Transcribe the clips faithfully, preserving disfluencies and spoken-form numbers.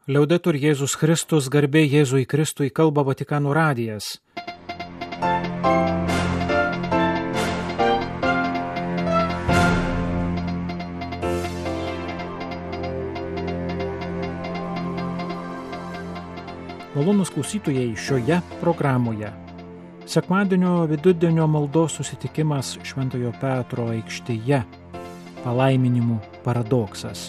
Liaudetur Jėzus Kristus, garbė Jėzui Kristui, kalba Vatikano radijas. Malonūs klausytojai, šioje programoje sekmadienio vidudienio maldos susitikimas Šventojo Petro aikštėje, palaiminimų paradoksas,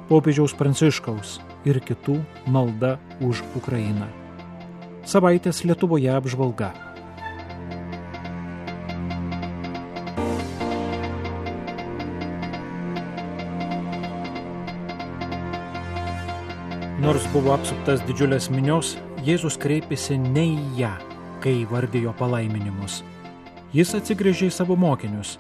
popiežiaus Pranciškaus ir kitų malda už Ukrainą. Savaitės Lietuvoje apžvalga. Nors buvo apsuptas didžiulės minios, Jėzus kreipėsi ne į ją, kai įvardijo palaiminimus. Jis atsigręžė į savo mokinius,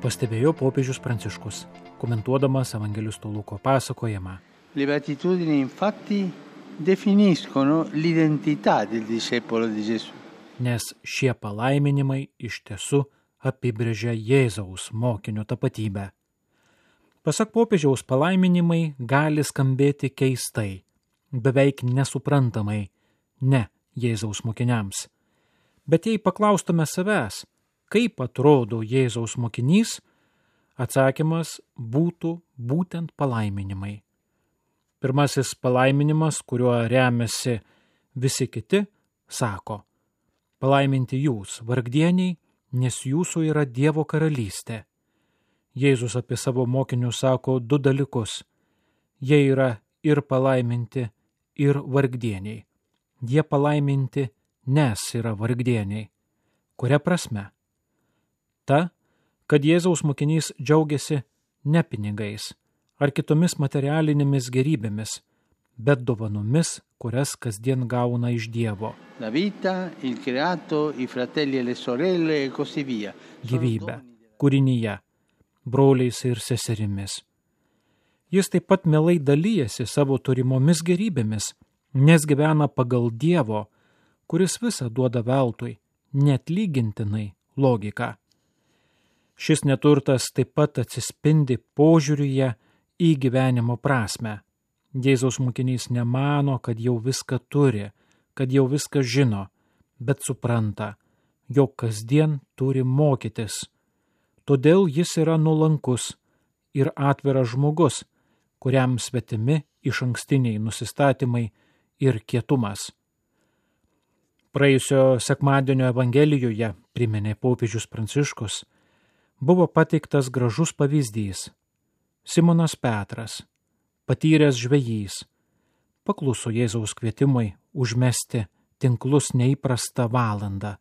pastebėjo popiežius Pranciškus, komentuodamas evangelisto Luko pasakojimą. Le beatitudini infatti definiscono l'identità del discepolo di Gesù. Nes šie palaiminimai iš tiesų apibrėžia Jėzaus mokinio tapatybę. Pasak popiežiaus, palaiminimai gali skambėti keistai, beveik nesuprantamai, ne Jėzaus mokiniams. Bet jei paklaustume savęs, kaip atrodo Jėzaus mokinys, atsakymas būtų būtent palaiminimai. Pirmasis palaiminimas, kuriuo remiasi visi kiti, sako: palaiminti jūs, vargdieniai, nes jūsų yra Dievo karalystė. Jėzus apie savo mokinius sako du dalykus. Jie yra ir palaiminti, ir vargdieniai. Jie palaiminti, nes yra vargdieniai. Kuria prasme? Ta, kad Jėzaus mokinys džiaugiasi ne pinigais ar kitomis materialinėmis gerybėmis, bet dovanomis, kurias kasdien gauna iš Dievo. La vita, il creato, i fratelli e le sorelle e così via. Gyvybė, kūrinyje, broliais ir seserimis. Jis taip pat mielai dalyjasi savo turimomis gerybėmis, nes gyvena pagal Dievo, kuris visą duoda veltui, neatlygintinai logiką. Šis neturtas taip pat atsispindi požiūryje į gyvenimo prasme. Jėzaus mokinys nemano, kad jau viską turi, kad jau viską žino, bet supranta, jog kasdien turi mokytis. Todėl jis yra nuolankus ir atviras žmogus, kuriam svetimi išankstiniai nusistatymai ir kietumas. Praėjusio sekmadienio Evangelijoje, priminė popiežius Pranciškus, buvo pateiktas gražus pavyzdys. Simonas Petras, patyręs žvejys, pakluso Jėzaus kvietimui užmesti tinklus neįprastą valandą,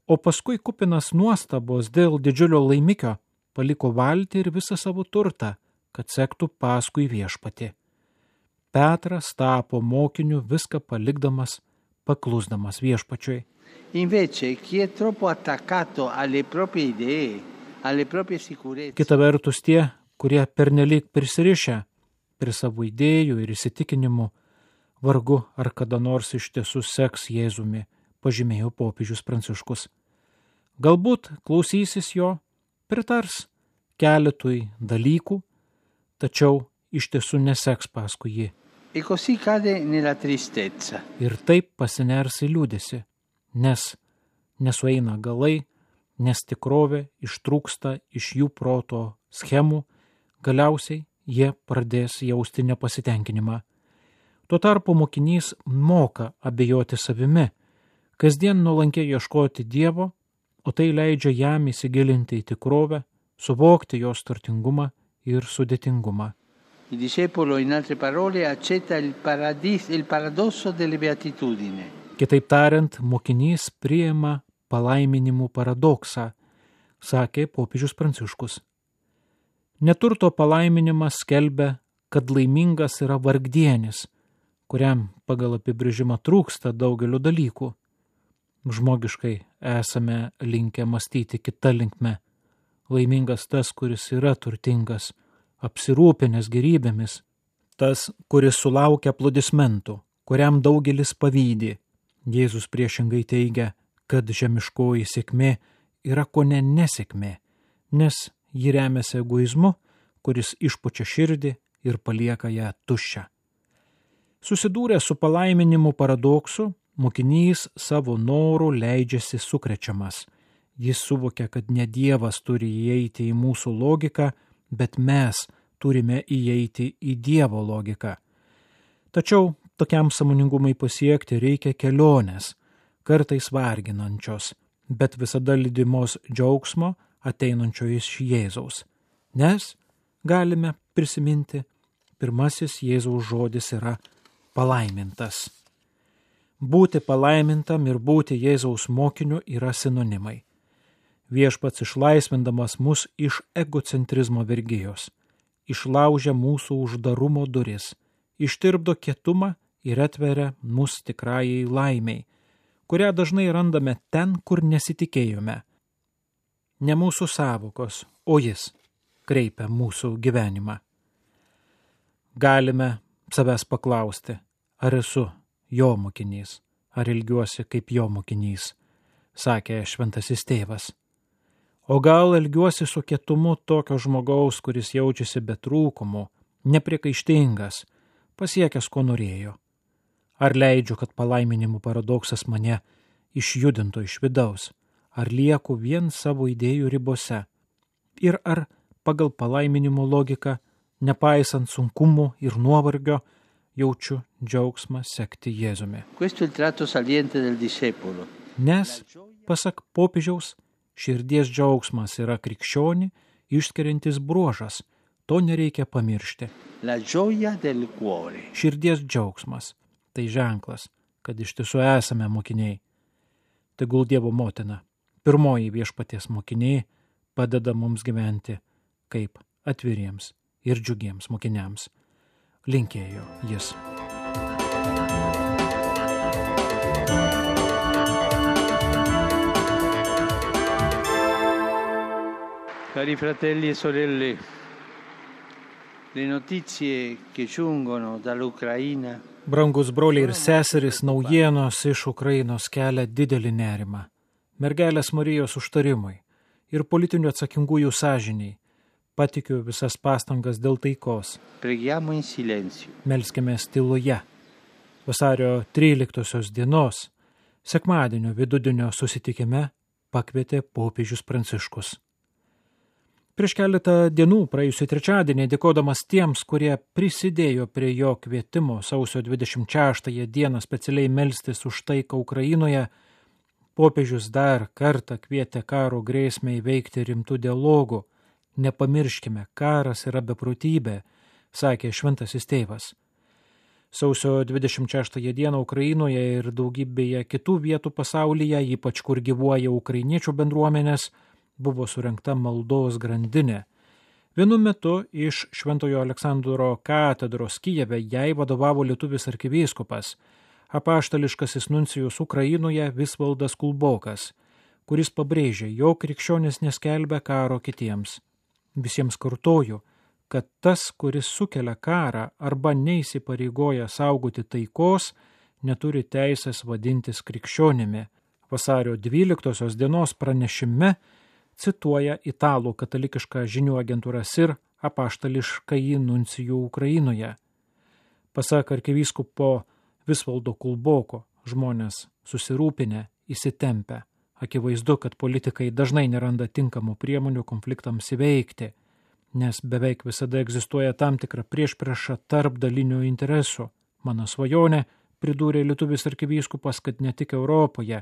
o paskui kupinas nuostabos dėl didžiulio laimikio paliko valtį ir visą savo turtą, kad sektų paskui viešpatį. Petras tapo mokiniu viską palikdamas, paklusdamas viešpačiui. Invece, chi è troppo attaccato alle proprie idee, alle proprie sicurezze. Kita vertus, tie, kurie pernelyg prisirišę prie savo idėjų ir įsitikinimų, vargu ar kada nors iš tiesų seks Jėzumi, pažymėjo popiežius Pranciškus. Galbūt klausysis jo, pritars keletui dalykų, tačiau iš tiesų neseks paskui jį. E così cade nella tristezza. Ir taip pasiners į liūdesį, nes nesueina galai, nes tikrovė ištrūksta iš jų proto schemų, galiausiai jie pradės jausti nepasitenkinimą. Tuo tarpu mokinys moka abejoti savimi, kasdien nuolankiai ieškoti Dievo, o tai leidžia jam įsigilinti į tikrovę, suvokti jos turtingumą ir sudėtingumą. Il discepolo, in altre parole, accetta il, paradis, il paradosso delle beatitudini. Kitaip tariant, mokinys priima palaiminimų paradoksą, sakė popiežius Pranciškus. Neturto palaiminimas skelbia, kad laimingas yra vargdienis, kuriam pagal apibrėžimą trūksta daugelio dalykų. Žmogiškai esame linkę mąstyti kita linkme. Laimingas tas, kuris yra turtingas, apsirūpinęs gerybėmis, tas, kuris sulaukia aplodismentų, kuriam daugelis pavydi. Jėzus priešingai teigia, kad žemiškoji sėkmė yra kone nesėkmė, nes ji remiasi egoizmu, kuris išpučia širdį ir palieka ją tuščią. Susidūręs su palaiminimu paradoksu, mokinys savo norų leidžiasi sukrečiamas. Jis suvokia, kad ne Dievas turi įeiti į mūsų logiką, bet mes turime įeiti į Dievo logiką. Tačiau tokiam sąmoningumui pasiekti reikia kelionės, kartais varginančios, bet visada lydimos džiaugsmo ateinančio iš Jėzaus. Nes, galime prisiminti, pirmasis Jėzaus žodis yra palaimintas. Būti palaimintam ir būti Jėzaus mokiniu yra sinonimai. Viešpats išlaisvindamas mus iš egocentrizmo vergijos, išlaužia mūsų uždarumo duris, ištirpdo kietumą ir atveria mus tikrajai laimiai, kurią dažnai randame ten, kur nesitikėjome. Ne mūsų savokos, o jis kreipia mūsų gyvenimą. Galime savęs paklausti, ar esu jo mokinys, ar ilgiuosi kaip jo mokinys, sakė šventasis tėvas. O gal elgiuosi su kietumu tokio žmogaus, kuris jaučiasi be trūkumų, nepriekaištingas, pasiekęs, ko norėjo. Ar leidžiu, kad palaiminimų paradoksas mane išjudintų iš vidaus, ar lieku vien savo idėjų ribose. Ir ar pagal palaiminimo logiką, nepaisant sunkumų ir nuovargio, jaučiu džiaugsmą sekti Jėzumi. Questo è il tratto saliente del discepolo. Nes, pasak popiežiaus, širdies džiaugsmas yra krikščionį išskiriantis bruožas, to nereikia pamiršti. La gioia del cuore. Širdies džiaugsmas – tai ženklas, kad iš tiesų esame mokiniai. Tegul Dievo motina, pirmoji viešpaties mokiniai, padeda mums gyventi kaip atviriems ir džiugiems mokiniams. Linkėjo jis. Cari fratelli e sorelle, le notizie che giungono dall'Ucraina. Brangus broliai ir seserys, naujienos iš Ukrainos kelia didelį nerimą. Mergelės Marijos užtarimui ir politinių atsakingųjų sąžiniai. Patikiu visas pastangas dėl taikos. Preghiamo in silenzio. Melskime tyloje. Vasario tryliktosios dienos, sekmadienio vidudienio susitikime pakvietė popiežius Pranciškus. Prieš keletą dienų, praėjusį trečiadienį, dėkodamas tiems, kurie prisidėjo prie jo kvietimo sausio dvidešimt šeštąją dieną specialiai melstis už taiką Ukrainoje, popiežius dar kartą kvietė karo grėsmę įveikti rimtų dialogų. Nepamirškime, karas yra beprotybė, sakė šventasis tėvas. Sausio dvidešimt šeštąją dieną Ukrainoje ir daugybėje kitų vietų pasaulyje, ypač kur gyvuoja ukrainiečių bendruomenės, buvo surengta maldos grandinė. Vienu metu iš Šventojo Aleksandro katedros Kijeve jai vadovavo lietuvis arkivyskupas, apaštališkasis nuncijus Ukrainoje Visvaldas Kulbokas, kuris pabrėžė, jog krikščionis neskelbia karo kitiems. Visiems kartoju, kad tas, kuris sukelia karą arba neįsipareigoja saugoti taikos, neturi teisės vadintis krikščionimi. Vasario dvyliktosios dienos pranešime cituoja italų katalikišką žinių agentūrą S I R apaštališkąjį nuncijų Ukrainoje. Pasak arkivyskupo Visvaldo Kulboko, žmonės susirūpinę, įsitempę. Akivaizdu, kad politikai dažnai neranda tinkamų priemonių konfliktams įveikti, nes beveik visada egzistuoja tam tikra priešprieša tarp dalinių interesų. Mano svajonė, pridūrė lietuvis arkivyskupas, kad ne tik Europoje,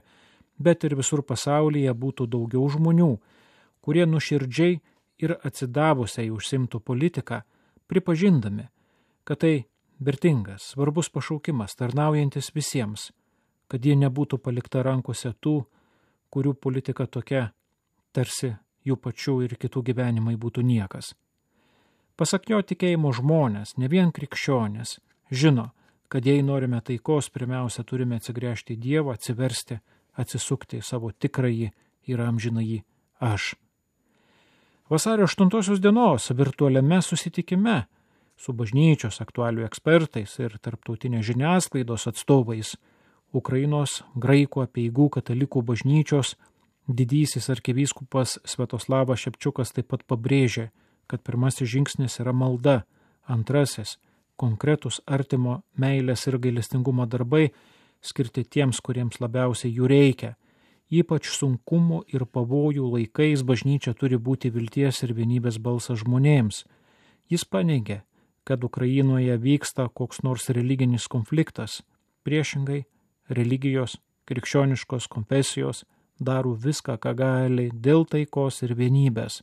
bet ir visur pasaulyje būtų daugiau žmonių, kurie nuširdžiai ir atsidavusiai užsimtų politiką, pripažindami, kad tai vertingas, svarbus pašaukimas, tarnaujantis visiems, kad ji nebūtų palikta rankose tų, kurių politika tokia, tarsi jų pačių ir kitų gyvenimai būtų niekas. Pasak jo tikėjimo žmonės, ne vien krikščionės, žino, kad jei norime taikos, pirmiausia turime atsigręžti į Dievą, atsiversti, atsisukti į savo tikrąjį ir amžinąjį aš. Vasario aštuntosios dienos virtualiame susitikime su bažnyčios aktualių ekspertais ir tarptautinės žiniasklaidos atstovais Ukrainos graikų apeigų katalikų bažnyčios didysis arkivyskupas Sviatoslavas Šepčiukas taip pat pabrėžė, kad pirmasis žingsnis yra malda, antrasis konkretus artimo meilės ir gailestingumo darbai skirti tiems, kuriems labiausiai jų reikia. Ypač sunkumų ir pavojų laikais bažnyčia turi būti vilties ir vienybės balsas žmonėms. Jis paneigė, kad Ukrainoje vyksta koks nors religinis konfliktas. Priešingai, religijos, krikščioniškos konfesijos daro viską, ką gali dėl taikos ir vienybės.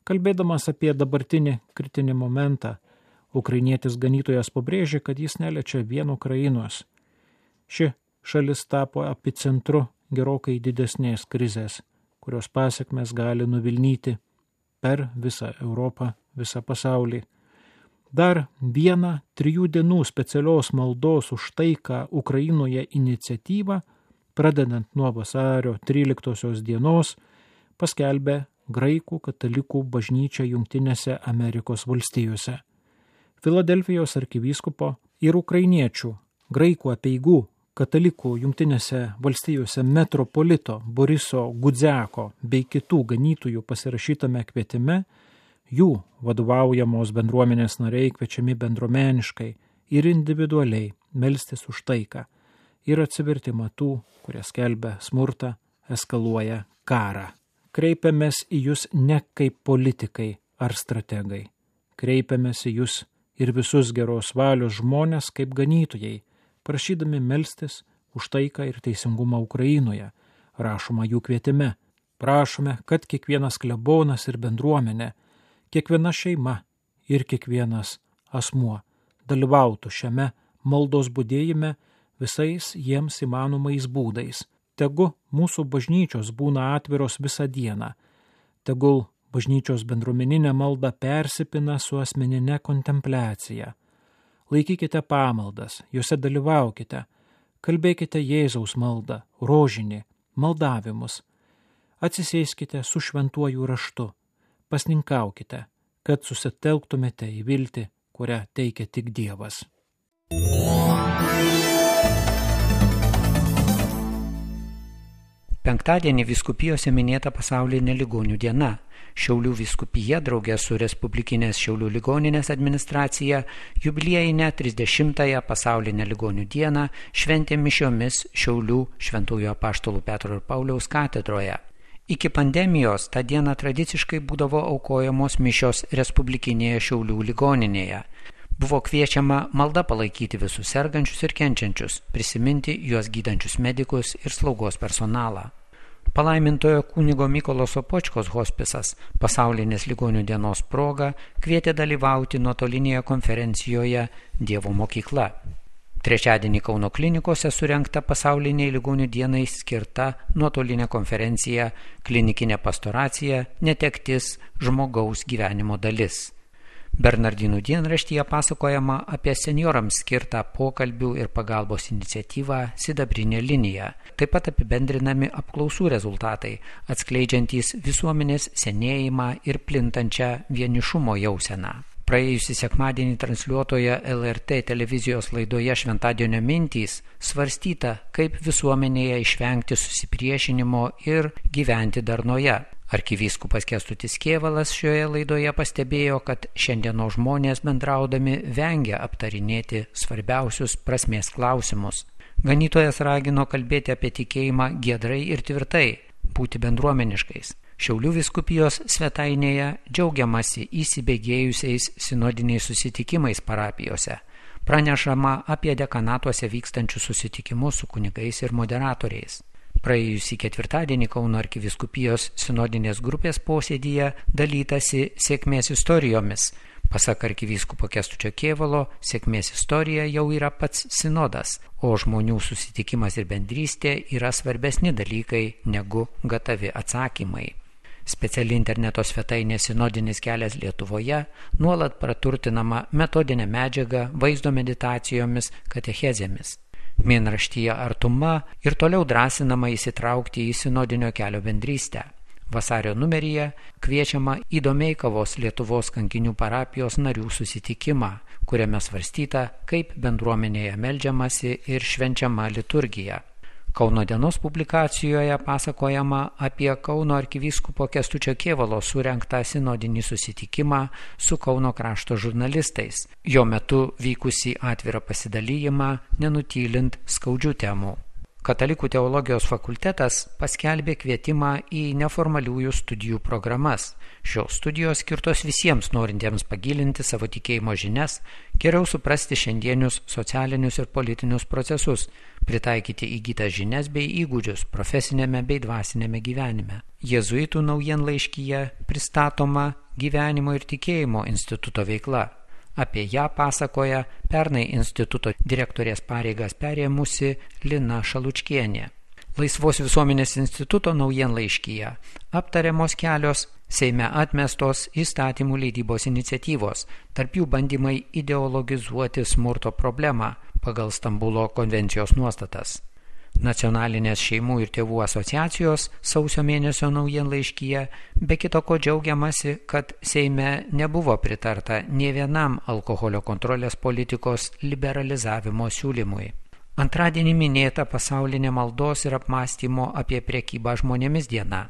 Kalbėdamas apie dabartinį kritinį momentą, ukrainietis ganytojas pabrėžė, kad jis neliečia vien Ukrainos. Ši šalis tapo epicentru gerokai didesnės krizės, kurios pasekmes gali nuvilnyti per visą Europą, visą pasaulį. Dar vieną trijų dienų specialios maldos už taiką Ukrainoje iniciatyvą, pradedant nuo vasario tryliktosios dienos, paskelbė Graikų katalikų bažnyčia Jungtinėse Amerikos valstijose. Filadelfijos arkivyskupo ir ukrainiečių graikų apeigų katalikų Jungtinėse valstijose metropolito Boriso Gudziako bei kitų ganytojų pasirašytame kvietime, jų vadovaujamos bendruomenės nariai kviečiami bendruomeniškai ir individualiai melstis už taiką ir atsivertimą tų, kurie skelbia smurtą, eskaluoja karą. Kreipiamės į jūs ne kaip politikai ar strategai. Kreipiamės į jūs ir visus geros valios žmonės kaip ganytojai, prašydami melstis už taiką ir teisingumą Ukrainoje, rašoma jų kvietime. Prašome, kad kiekvienas klebonas ir bendruomenė, kiekviena šeima ir kiekvienas asmuo dalyvautų šiame maldos budėjime visais jiems įmanomais būdais. Tegu mūsų bažnyčios būna atviros visą dieną. Tegul bažnyčios bendruomeninė malda persipina su asmeninė kontempliacija. Laikykite pamaldas, juose dalyvaukite, kalbėkite Jėzaus maldą, rožinį, maldavimus. Atsisėskite su šventuoju raštu, pasninkaukite, kad susitelktumėte į viltį, kurią teikia tik Dievas. Penktadienį vyskupijose minėta pasaulinė ligonių diena. Šiaulių vyskupija draugė su Respublikinės Šiaulių ligoninės administracija jubiliejinę trisdešimtąją pasaulinę ligonių dieną šventė mišiomis Šiaulių Šventųjų Apaštalų Petro ir Pauliaus katedroje. Iki pandemijos tą dieną tradiciškai būdavo aukojamos mišios Respublikinėje Šiaulių ligoninėje. Buvo kviečiama malda palaikyti visus sergančius ir kenčiančius, prisiminti juos gydančius medikus ir slaugos personalą. Palaimintojo kunigo Mykolo Sopočkos hospisas pasaulinės ligonių dienos proga kvietė dalyvauti nuotolinėje konferencijoje Dievo mokykla. Trečiadienį Kauno klinikose surengta pasauliniai ligonių dienai skirta nuotolinė konferencija Klinikinė pastoracija – netektis žmogaus gyvenimo dalis. Bernardinų dienraštyje pasakojama apie senjorams skirtą pokalbių ir pagalbos iniciatyvą Sidabrinė linija. Taip pat apibendrinami apklausų rezultatai, atskleidžiantys visuomenės senėjimą ir plintančią vienišumo jauseną. Praėjusį sekmadienį transliuotoje L R T televizijos laidoje Šventadienio mintys svarstyta, kaip visuomenėje išvengti susipriešinimo ir gyventi darnoje. Arkivyskupas Kęstutis Kėvalas šioje laidoje pastebėjo, kad šiandienos žmonės bendraudami vengia aptarinėti svarbiausius prasmės klausimus. Ganytojas ragino kalbėti apie tikėjimą giedrai ir tvirtai, būti bendruomeniškais. Šiaulių vyskupijos svetainėje džiaugiamasi įsibėgėjusiais sinodiniais susitikimais parapijose. Pranešama apie dekanatuose vykstančius susitikimus su kunigais ir moderatoriais. Praėjusį ketvirtadienį Kauno arkivyskupijos sinodinės grupės posėdyje dalytasi sėkmės istorijomis. Pasak arkivyskupo Kęstučio Kėvalo, sėkmės istorija jau yra pats sinodas, o žmonių susitikimas ir bendrystė yra svarbesni dalykai negu gatavi atsakymai. Speciali interneto svetainė Sinodinis kelias Lietuvoje nuolat praturtinama metodinė medžiaga, vaizdo meditacijomis, katechezėmis. Mėnraštyje Artuma ir toliau drąsinama įsitraukti į sinodinio kelio bendrystę. Vasario numeryje kviečiama į Domeikavos Lietuvos kankinių parapijos narių susitikimą, kuriame svarstyta, kaip bendruomenėje meldžiamasi ir švenčiama liturgija. Kauno dienos publikacijoje pasakojama apie Kauno arkivyskupo Kęstučio Kėvalo surengtą sinodinį susitikimą su Kauno krašto žurnalistais, jo metu vykusį atvirą pasidalijimą, nenutylint skaudžių temų. Katalikų teologijos fakultetas paskelbė kvietimą į neformaliųjų studijų programas. Šios studijos skirtos visiems norintiems pagilinti savo tikėjimo žinias, geriau suprasti šiandienius socialinius ir politinius procesus, pritaikyti įgytas žinias bei įgūdžius profesinėme bei dvasinėme gyvenime. Jėzuitų naujienlaiškyje pristatoma gyvenimo ir tikėjimo instituto veikla. Apie ją pasakoja pernai instituto direktorės pareigas perėmusi Lina Šalučkienė. Laisvos visuomenės instituto naujienlaiškyje aptariamos kelios Seime atmestos įstatymų leidybos iniciatyvos, tarp jų bandymai ideologizuoti smurto problemą pagal Stambulo konvencijos nuostatas. Nacionalinės šeimų ir tėvų asociacijos sausio mėnesio naujienlaiškyje be kito ko džiaugiamasi, kad Seime nebuvo pritarta nė vienam alkoholio kontrolės politikos liberalizavimo siūlymui. Antradienį minėta pasaulinė maldos ir apmąstymo apie prekybą žmonėmis diena.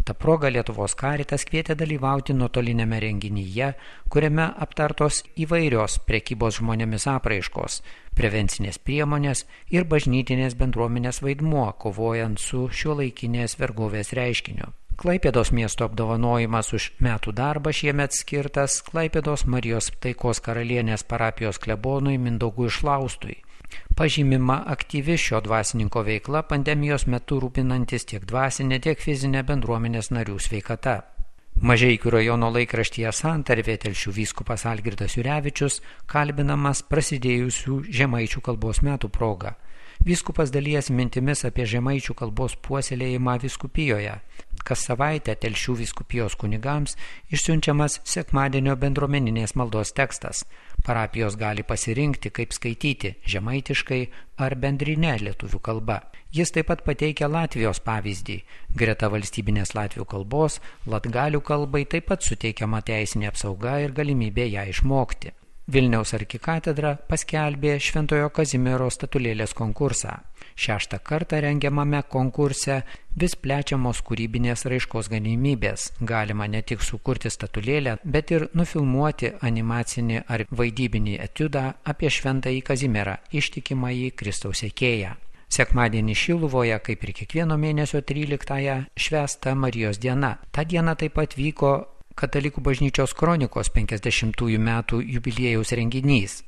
Ta proga Lietuvos Karitas kvietė dalyvauti nuotolinėme renginyje, kuriame aptartos įvairios prekybos žmonėmis apraiškos, prevencinės priemonės ir bažnytinės bendruomenės vaidmuo, kovojant su šiuolaikinės vergovės reiškiniu. Klaipėdos miesto apdovanojimas už metų darbą šiemet skirtas Klaipėdos Marijos Taikos karalienės parapijos klebonui Mindaugui Šlaustui. Pažymima aktyvi šio dvasininko veikla pandemijos metu rūpinantis tiek dvasinė, tiek fizinė bendruomenės narių sveikata. Mažeikių rajono laikraštyje Santarvė Telšių vyskupas Algirdas Jurevičius kalbinamas prasidėjusių žemaičių kalbos metų proga. Vyskupas dalijasi mintimis apie žemaičių kalbos puoselėjimą vyskupijoje. Kas savaitę Telšių vyskupijos kunigams išsiunčiamas sekmadienio bendruomeninės maldos tekstas. Parapijos gali pasirinkti, kaip skaityti žemaitiškai ar bendrine lietuvių kalba. Jis taip pat pateikia Latvijos pavyzdį. Greta valstybinės latvių kalbos, latgalių kalbai taip pat suteikiama teisinė apsauga ir galimybė ją išmokti. Vilniaus arkikatedra paskelbė Šventojo Kazimiero statulėlės konkursą. Šeštą kartą rengiamame konkurse vis plečiamos kūrybinės raiškos galimybės. Galima ne tik sukurti statulėlę, bet ir nufilmuoti animacinį ar vaidybinį etiudą apie Šventąjį Kazimierą, ištikimąjį Kristaus sekėją. Sekmadienį Šiluvoje, kaip ir kiekvieno mėnesio tryliktąją, švęsta Marijos diena. Ta diena taip pat vyko Katalikų bažnyčios kronikos penkiasdešimtųjų metų jubiliejaus renginys.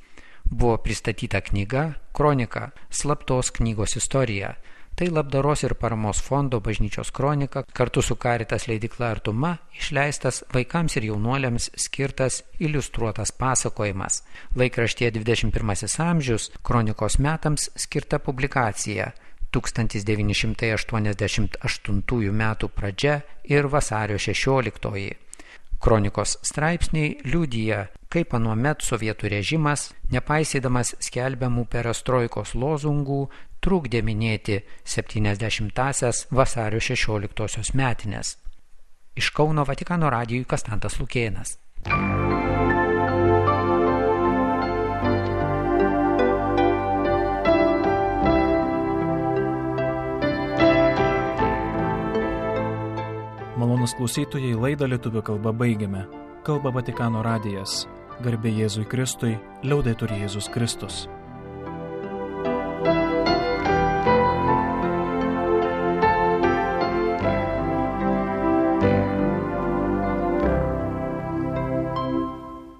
Buvo pristatyta knyga Kronika – slaptos knygos istorija. Tai labdaros ir paramos fondo bažnyčios kronika kartu su Karitas leidykla Artuma išleistas vaikams ir jaunuoliams skirtas iliustruotas pasakojimas. Laikraštyje dvidešimt pirmasis amžius kronikos metams skirta publikacija tūkstantis devyni šimtai aštuoniasdešimt aštuntųjų metų pradžia ir vasario šešioliktoji. Kronikos straipsniai liudija, kaip anuomet sovietų režimas, nepaisydamas skelbiamų perestroikos lozungų, trukdė minėti septyniasdešimtąsias vasario šešioliktosios metines. Iš Kauno Vatikano radijui Kastantas Lukėnas. Malonūs klausytojai, laidą lietuvių kalba baigiame. Kalba Vatikano radijas. Garbė Jėzui Kristui, liaudetur Jėzus Kristus.